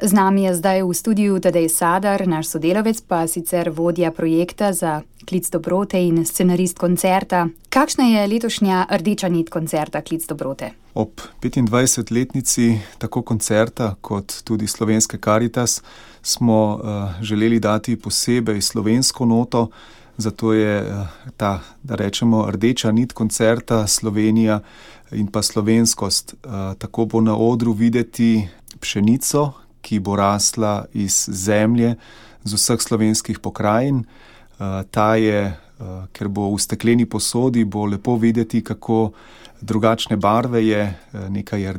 Z nami je zdaj v studiu Tadej Sadar, naš sodelavec, pa sicer vodja projekta za Klic dobrote in scenarist koncerta. Kakšna je letošnja rdeča nit koncerta Klic dobrote? Ob 25-letnici tako koncerta kot tudi Slovenske Karitas smo želeli dati posebej slovensko noto, zato je ta, da rečemo, rdeča nit koncerta Slovenija in pa slovenskost. Tako bo na odru videti pšenico, ki bo rasla iz zemlje z vseh slovenskih pokrajin. Ta je, ker bo v stekleni posodi, bo lepo videti, kako drugačne barve je, nekaj